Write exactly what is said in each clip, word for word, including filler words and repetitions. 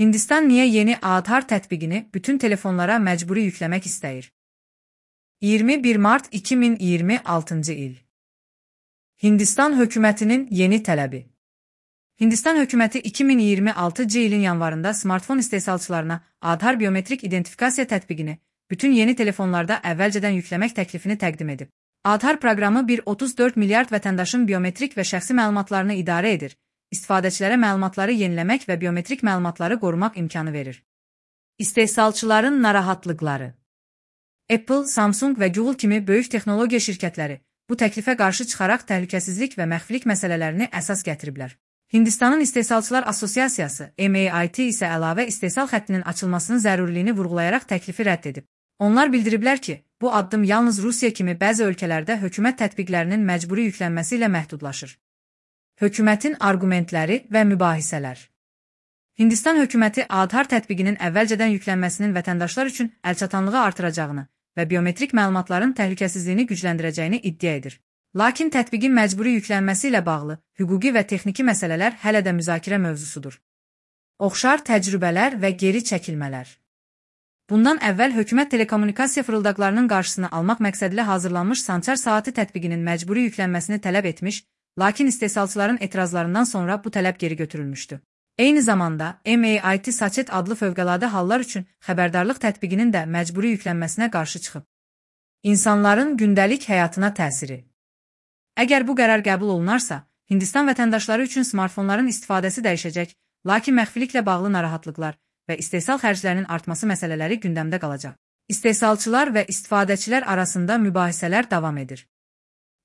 Hindistan niyə yeni Aadhar tətbiqini bütün telefonlara məcburi yükləmək istəyir? iyirmi bir mart iki min iyirmi altıncı il. Hindistan hökumətinin yeni tələbi. Hindistan hökuməti iki min iyirmi altıncı ilin yanvarında smartfon istehsalçılarına Aadhar biometrik identifikasiya tətbiqini bütün yeni telefonlarda əvvəlcədən yükləmək təklifini təqdim edib. Aadhar proqramı bir nöqtə otuz dörd milyard vətəndaşın biometrik və şəxsi məlumatlarını idarə edir. İstifadəçilərə məlumatları yeniləmək və biometrik məlumatları qorumaq imkanı verir. İstehsalçıların narahatlıqları. Apple, Samsung və Google kimi böyük texnologiya şirkətləri bu təklifə qarşı çıxaraq təhlükəsizlik və məxfilik məsələlərini əsas gətiriblər. Hindistanın İstehsalçılar Assosiasiyası M A I T isə əlavə istehsal xəttinin açılmasının zəruriliyini vurğulayaraq təklifi rədd edib. Onlar bildiriblər ki, bu addım yalnız Rusiya kimi bəzi ölkələrdə hökumət tətbiqlərinin məcburi yüklənməsi ilə məhdudlaşır. Hökumətin arqumentləri və mübahisələr. Hindistan hökuməti Aadhar tətbiqinin əvvəlcədən yüklənməsinin vətəndaşlar üçün əlçatanlığı artıracağını və biometrik məlumatların təhlükəsizliyini gücləndirəcəyini iddia edir. Lakin tətbiqin məcburi yüklənməsi ilə bağlı hüquqi və texniki məsələlər hələ də müzakirə mövzusudur. Oxşar təcrübələr və geri çəkilmələr. Bundan əvvəl hökumət telekommunikasiya fırıldaqlarının qarşısını almaq məqsədilə hazırlanmış Sançar saatı tətbiqinin məcburi yüklənməsini tələb etmiş, lakin istehsalçıların etirazlarından sonra bu tələb geri götürülmüşdü. Eyni zamanda M A I T Sachet adlı fövqəladə hallar üçün xəbərdarlıq tətbiqinin də məcburi yüklənməsinə qarşı çıxıb. İnsanların gündəlik həyatına təsiri. Əgər bu qərar qəbul olunarsa, Hindistan vətəndaşları üçün smartfonların istifadəsi dəyişəcək, lakin məxfiliklə bağlı narahatlıqlar və istehsal xərclərinin artması məsələləri gündəmdə qalacaq. İstehsalçılar və istifadəçilər arasında mübahisələr davam edir.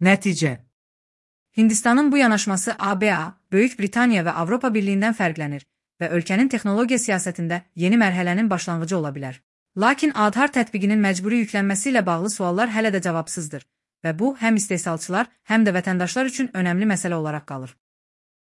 Nəticə. Hindistanın bu yanaşması A B A, Böyük Britaniya və Avropa Birliyindən fərqlənir və ölkənin texnologiya siyasətində yeni mərhələnin başlanğıcı ola bilər. Lakin Aadhar tətbiqinin məcburi yüklənməsi ilə bağlı suallar hələ də cavabsızdır və bu həm istehsalçılar, həm də vətəndaşlar üçün önəmli məsələ olaraq qalır.